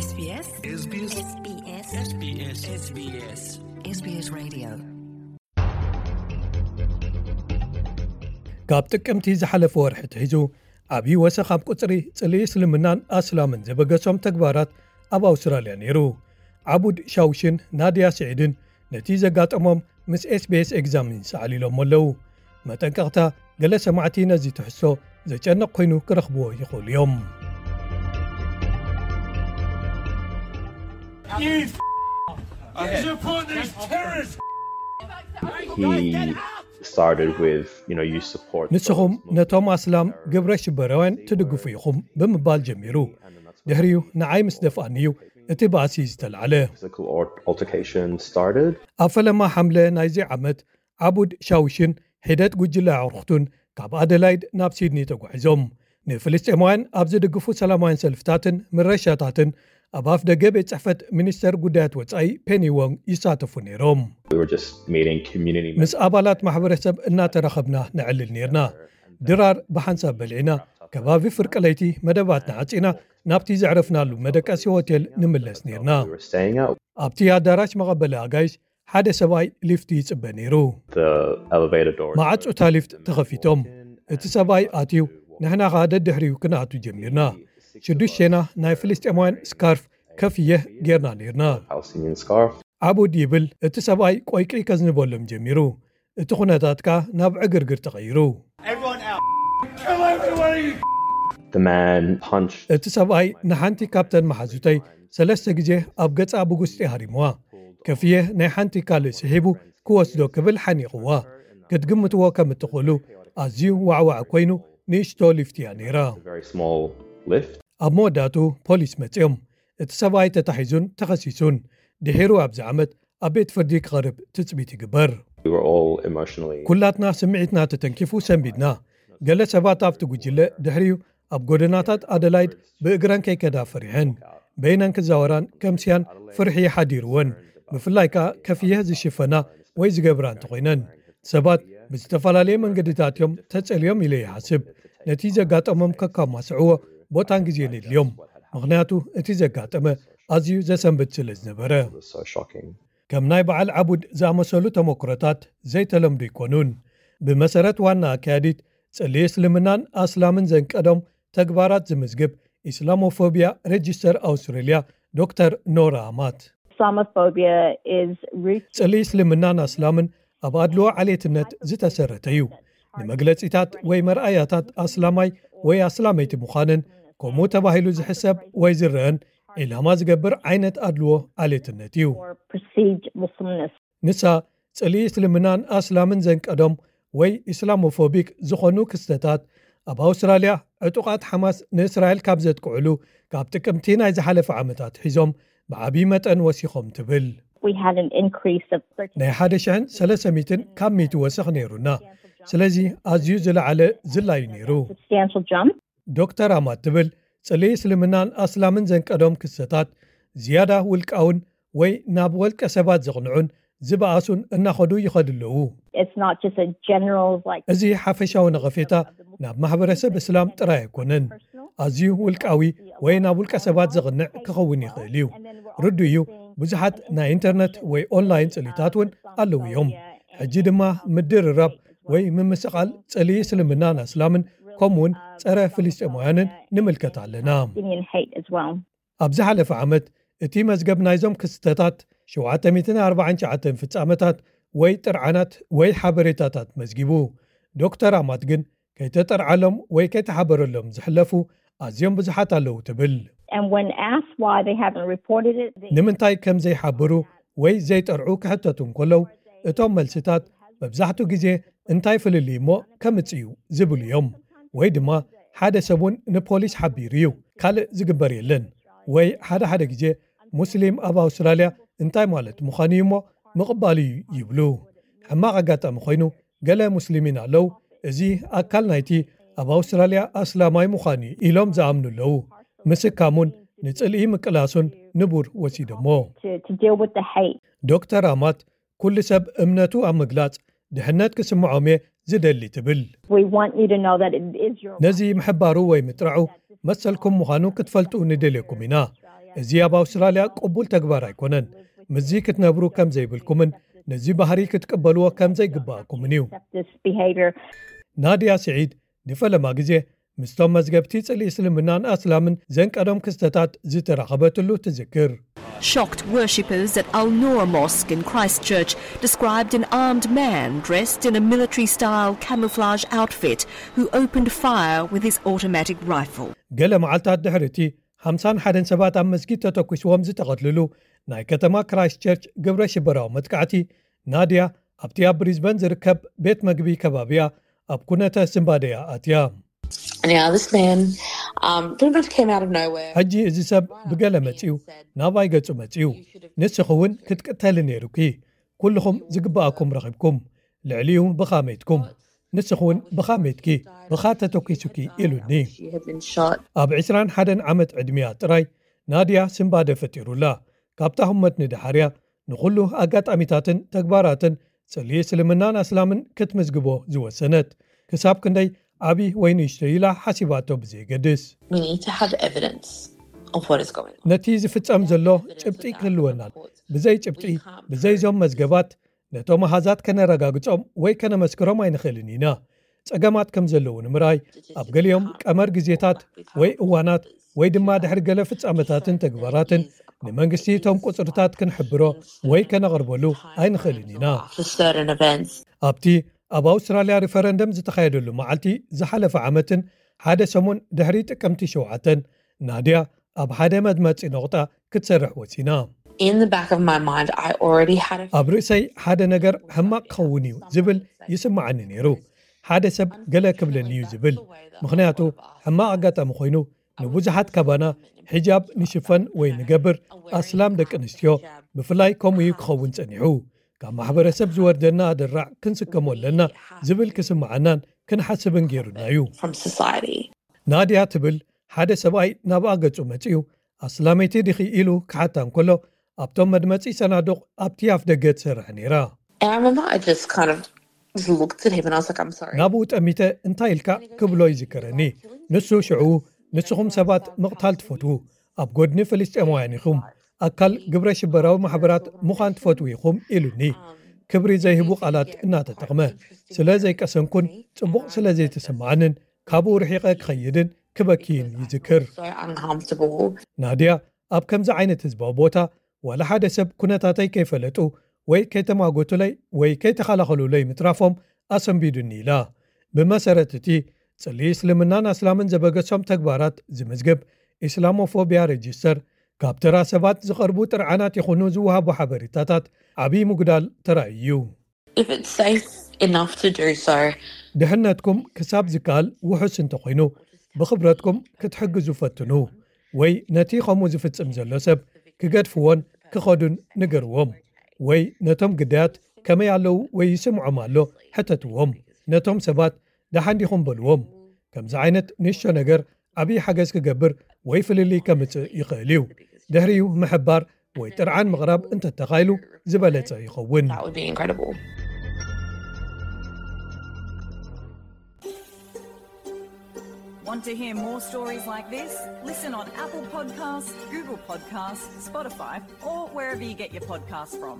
SBS SBS SBS SBS SBS Radio. ካብ ጥቅምቲ ዝሓለፈ ወርሒ ትሒዙ ዓብዪ ወሰኽ ኣብ ቁፅሪ ፅልኢ እስልምናን ኣስላምን ዘበገሶም ተግባራት ኣብ ኣውስትራልያ ነይሩ። ዓቡድ ሻውሽን ናድያ ስዒድን ነቲ ዘጋጠሞም ምስ SBS ኤግዛሚንስ ኣዕሊሎሞ ኣለዉ። መጠንቀቕታ፣ ገለ ሰማዕቲ ነዚ ትሕዝቶ ዘጨንቕ ኮይኑ ክረኽብዎ ይኽእሉ እዮም። He started with, you know, you support ንስኹም ነቶም ኣስላም ግብረ ሽበራውያን ትድግፉ ኢኹም ብምባል ጀሚሩ። ድሕሪኡ ንዓይ ምስ ደፍኣኒ እዩ እቲ ባእሲ ዝተላዕለ። Physical al- altercation started. ኣብ ፈለማ ሓምለ ናይዚ ዓመት ዓቡድ ሻውሽን ሒደት ጉጅለ ኣዕሩኽቱን ካብ ኣደላይድ ናብ ሲድኒ ተጓዒዞም። ንፍልስጤማውያን ኣብ ዝድግፉ ሰላማውያን ሰልፍታትን ምረሻታትን ኣብ ኣፍ ደገ ቤት ጽሕፈት ሚኒስተር ጉዳያት ወጻኢ ፔኒ ዎንግ ይሳተፉ ነይሮም። We were just meeting community ምስ ኣባላት ማሕበረሰብ እናተራኸብና ነዕልል ነይርና። ድራር ብሓንሳብ በሊዕና፣ ከባቢ ፍርቂ ለይቲ መደባትና ዓጺና ናብቲ ዘዕረፍናሉ መደቀሲ ሆቴል ንምለስ ነይርና። We were staying out. ኣብቲ ኣዳራሽ መቐበሊ ኣጋይሽ ሓደ ሰብኣይ ሊፍት ይጽበ ነይሩ። The elevator door. መዓጹታ ሊፍት ተኸፊቶም። እቲ ሰብኣይ ኣትዩ፣ ንሕና ኸኣ ደድሕሪኡ ክንኣቱ ጀሚርና። ሽዱሽቴና ናይ ፍልስጤማውያን ስካርፍ ከፍየህ ጌርና ነይርና። Palestinian scarf. ዓቡድ ይብል፣ እቲ ሰብኣይ ቆይቂ ከዝንበሎም ጀሚሩ። እቲ ኩነታት ከኣ ናብ ዕግርግር ተቐይሩ። Everyone out. Kill everyone. The man punched. እቲ ሰብኣይ ንሓንቲ ካብተን መሓዙተይ ሰለስተ ግዜ ኣብ ገጻ ብጉስጢ ሃሪምዋ። ከፍየ ናይ ሓንቲ ካልእ ስሒቡ ክወስዶ ክብል ሓኒቕዋ። ክትግምትዎ ከም እትኽእሉ፣ ኣዝዩ ዋዕዋዕ ኮይኑ ንእሽቶ ሊፍት እያ ነይራ። A very small lift. ኣብ መወዳእቱ ፖሊስ መጺኦም። እቲ ሰብኣይ ተታሒዙን ተኸሲሱን። ድሒሩ ኣብዚ ዓመት ኣብ ቤት ፍርዲ ክቐርብ ትጽቢት ይግበር። We were all emotionally. ኩላትና ስምዒትና ተተንኪፉ ሰንቢድና። ገለ ሰባት ኣብቲ ጉጅለ ድሕሪኡ ኣብ ጎደናታት ኣደላይድ ብእግረን ከይከዳ ፈሪሐን። በይነን ክዛወራን ከምስያን ፍርሒ ሓዲርወን። ብፍላይ ከኣ ከፍየህ ዝሽፈና ወይ ዝገብራ እንተኾይነን። ሰባት ብዝተፈላለየ መንገድታት እዮም ተጸልዮም ኢለ ይሓስብ። ነቲ ዘጋጠሞም ከካማስዕዎ ቦታን ግዜን የድልዮም። ምኽንያቱ እቲ ዘጋጠመ ኣዝዩ ዘሰንብድ ስለ ዝነበረ። It was so shocking. ከም ናይ በዓል ዓቡድ ዝኣመሰሉ ተመክሮታት ዘይተለምዱ ኣይኮኑን። ብመሰረት ዋና ኣካያዲት፣ ጽልኢ እስልምናን ኣስላምን ዘንቀዶም ተግባራት ዝምዝግብ ኢስላሞፎብያ ሬጅስተር ኣውስትሬልያ ዶክተር ኖራ ኣማት፣ Islamophobia is rooted ጽልኢ እስልምናን ኣስላምን ኣብ ኣድልዎ ዓሌትነት ዝተሰረተ እዩ። ንመግለጺታት ወይ መርኣያታት ኣስላማይ ወይ ኣስላመይቲ ምዃንን ከምኡ ተባሂሉ ዝሕሰብ ወይ ዝረአን ዒላማ ዝገብር ዓይነት ኣድልዎ ዓሌትነት እዩ። or perceived Muslimness. ንሳ ጽልኢ እስልምናን ኣስላምን ዘንቀዶም ወይ ኢስላሞፎቢክ ዝኾኑ ክስተታት ኣብ ኣውስትራልያ ዕጡቓት ሓማስ ንእስራኤል ካብ ዘጥቅዕሉ ካብ ጥቅምቲ ናይ ዝሓለፈ ዓመታት ሒዞም ብዓብዪ መጠን ወሲኾም ትብል። We had an increase of thirteen ናይ ሓደ ሽሕን ሰለስተ ሚእትን ካብ ሚእቲ ወሰኽ ነይሩና። ስለዚ ኣዝዩ ዝለዓለ ዝላዩ ነይሩ። Substantial jump. ዶክተር ኣማት ትብል ጽልኢ እስልምናን ኣስላምን ዘንቀዶም ክስተታት ዝያዳ ውልቃውን ወይ ናብ ወልቀ ሰባት ዘቕንዑን ዝበኣሱን እናኸዱ ይኸዱ ኣለዉ። It's not just a general like እዚ ሓፈሻዊ ነቐፌታ ናብ ማሕበረሰብ እስላም ጥራይ ኣይኮነን። ኣዝዩ ውልቃዊ ወይ ናብ ውልቀ ሰባት ዘቕንዕ ክኸውን ይኽእል እዩ። ርዱ እዩ፣ ብዙሓት ናይ ኢንተርነት ወይ ኦንላይን ጽልኢታት እውን ኣለዉ እዮም። ሕጂ ድማ ምድርራብ ወይ ምምስቓል ጽልኢ እስልምናን ኣስላምን ከምኡውን ጸረ ፍልስጤማውያንን ንምልከት ኣለና። Palestinian hate as well. ኣብ ዝሓለፈ ዓመት እቲ መዝገብ ናይዞም ክስተታት ሸውዓተ ሚእትን ኣርባዓን ትሽዓተን ፍጻመታት ወይ ጥርዓናት ወይ ሓበሬታታት መዝጊቡ። ዶክተር ኣማት ግን ከይተጠርዓሎም ወይ ከይተሓበረሎም ዝሕለፉ ኣዝዮም ብዙሓት ኣለዉ ትብል። And when asked why they haven't reported it, they ንምንታይ ከም ዘይሓብሩ ወይ ዘይጠርዑ ክሕተቱ እንከለዉ፣ እቶም መልስታት መብዛሕትኡ ግዜ እንታይ ፍልልይ እሞ ከምጽእ እዩ ዝብሉ እዮም። ወይ ድማ ሓደ ሰብ እውን ንፖሊስ ሓቢሩ እዩ፣ ካልእ ዝግበር የለን። ወይ ሓደ ሓደ ግዜ ሙስሊም ኣብ ኣውስትራልያ እንታይ ማለት ምዃኑ እዩ እሞ ምቕባል እዩ ይብሉ። ሕማቕ ኣጋጣሚ ኮይኑ ገለ ሙስሊሚን ኣለዉ፣ እዚ ኣካል ናይቲ ኣብ ኣውስትራልያ ኣስላማይ ምዃኑ እዩ ኢሎም ዝኣምኑ ኣለዉ። ምስካሙን ንጽልኢ ምቅላሱን ንቡር ወሲዶሞ። to, to deal with the hate. ዶክተር ኣማት ኩሉ ሰብ እምነቱ ኣብ ምግላጽ ድሕነት ክስምዖም እየ ዝደሊ ትብል። We want you to know that it is your ነዚ ምሕባሩ ወይ ምጥራዑ መሰልኩም ምዃኑ ክትፈልጡ ንደልየኩም ኢና። እዚ ኣብ ኣውስትራልያ ቅቡል ተግባር ኣይኮነን። ምስዚ ክትነብሩ ከም ዘይብልኩምን ነዚ ባህሪ ክትቅበልዎ ከም ዘይግባኣኩምን እዩ። ናድያ ስዒድ ንፈለማ ግዜ ምስቶም መዝገብቲ ጽልኢ እስልምናን ኣስላምን ዘንቀዶም ክስተታት ዝተራኸበትሉ ትዝክር። Shocked worshippers at Al Noor Mosque in Christchurch described an armed man dressed in a military style camouflage outfit who opened fire with his automatic rifle. ገለ መዓልታት ድሕሪ እቲ ሓምሳን ሓደን ሰባት ኣብ መስጊድ ተተኲስዎም ዝተቐትልሉ ናይ ከተማ ክራይስት ቸርች ግብረ ሽበራዊ መጥቃዕቲ፣ ናድያ ኣብቲ ኣብ ብሪዝበን ዝርከብ ቤት መግቢ ከባቢያ ኣብ ኩነተ ስንባደያ ኣትያ። ሕጂ እዚ ሰብ ብገለ መጺኡ ናባይ ገጹ መጺኡ፣ ንስኺ እውን ክትቅተሊ ነይሩኪ፣ ኩልኹም ዝግብኣኩም ረኺብኩም፣ ልዕሊኡ ብኻ ሜትኩም፣ ንስኺ እውን ብኻ ሜትኪ፣ ብኻ ተተኲሱኪ ኢሉኒ። ኣብ ዕስራን ሓደን ዓመት ዕድሚያ ጥራይ ናድያ ስንባደ ፈጢሩላ። ካብታ ህሞት ንደሓርያ ንኹሉ ኣጋጣሚታትን ተግባራትን ጽልኢ እስልምናን ኣስላምን ክትምዝግቦ ዝወሰነት። ክሳብ ክንደይ ዓቢ ወይ ንእሽቶ ኢላ ሓሲባቶ ብዘየገድስ። ነቲ ዝፍጸም ዘሎ ጭብጢ ክህልወና፣ ብዘይ ጭብጢ፣ ብዘይዞም መዝገባት ነቶም ኣሃዛት ከነረጋግጾም ወይ ከነመስክሮም ኣይንኽእልን ኢና። ጸገማት ከም ዘለዉ ንምርኣይ ኣብ ገሊኦም ቀመር ግዜታት ወይ እዋናት ወይ ድማ ድሕሪ ገለ ፍጻመታትን ተግባራትን ንመንግስቲ እቶም ቁጽርታት ክንሕብሮ ወይ ከነቕርበሉ ኣይንኽእልን ኢና። ኣብቲ ኣብ ኣውስትራልያ ሪፈረንደም ዝተኻየደሉ መዓልቲ ዝሓለፈ ዓመትን ሓደ ሰሙን ድሕሪ ጥቅምቲ ሸውዓተን ናድያ ኣብ ሓደ መድመጺ ነቑጣ ክትሰርሕ ወሲና። ኣብ ርእሰይ ሓደ ነገር ሕማቕ ክኸውን እዩ ዝብል ይስምዓኒ ነይሩ። ሓደ ሰብ ገለ ክብለኒ እዩ ዝብል፣ ምኽንያቱ ሕማቕ ኣጋጣሚ ኮይኑ ንብዙሓት ካባና ሒጃብ ንሽፈን ወይ ንገብር ኣስላም ደቂ ኣንስትዮ ብፍላይ ከምኡ እዩ ክኸውን ጸኒሑ። ካብ ማሕበረሰብ ዝወርደና ኣደራዕ ክንስከሞ ኣለና ዝብል ክስምዓናን ክንሓስብን ገይሩና እዩ። ናድያ ትብል ሓደ ሰብኣይ ናብኣ ገጹ መጺኡ ኣስላመይቲ ዲኺ ኢሉ ክሓታ እንከሎ ኣብቶም መድመጺ ሰናዱቕ ኣብቲ ኣፍ ደገ ትሰርሕ ነይራ። ናብኡ ጠሚተ እንታይ ኢልካ ክብሎ ይዝከረኒ። ንሱ ሽዑ ንስኹም ሰባት ምቕታል ትፈትዉ፣ ኣብ ጎድኒ ፍልስጤማውያን ኢኹም፣ ኣካል ግብረ ሽበራዊ ማሕበራት ምዃን ትፈትዉ ኢኹም ኢሉኒ። ክብሪ ዘይህቡ ቃላት እናተጠቕመ ስለ ዘይቀሰንኩን ጽቡቕ ስለ ዘይተሰማዓንን ካብኡ ርሒቐ ክኸይድን ክበክይን ይዝክር። ናድያ ኣብ ከምዚ ዓይነት ህዝባዊ ቦታ ዋላ ሓደ ሰብ ኩነታተይ ከይፈለጡ ወይ ከይተማጎቱለይ ወይ ከይተኸላኸሉለይ ምትራፎም ኣሰንቢዱኒ ኢላ። ብመሰረት እቲ ጽልኢ እስልምናን ኣስላምን ዘበገሶም ተግባራት ዝምዝግብ ኢስላሞፎብያ ሬጅስተር ካብ ተራ ሰባት ዝቐርቡ ጥርዓናት ይኹኑ ዝወሃቡ ሓበሬታታት ዓብዪ ምጉዳል ተራእዩ እዩ። ድሕነትኩም ክሳብ ዝከኣል ውሑስ እንተኾይኑ ብኽብረትኩም ክትሕግዙ ፈትኑ፣ ወይ ነቲ ከምኡ ዝፍጽም ዘሎ ሰብ ክገድፍዎን ክኸዱን ንገርዎም፣ ወይ ነቶም ግዳያት ከመይ ኣለዉ ወይ ይስምዖም ኣሎ ሕተትዎም። ነቶም ሰባት ደሓን ዲኹም በልዎም። ከምዚ ዓይነት ንእሽቶ ነገር ዓብዪ ሓገዝ ክገብር ወይ ፍልልይ ከምጽእ ይኽእል እዩ። ድሕሪኡ ምሕባር ወይ ጥርዓን ምቕራብ እንተተኻኢሉ ዝበለጸ ይኸውን። Want to hear more stories like this? Listen on Apple Podcasts, Google Podcasts, Spotify, or wherever you get your podcasts from.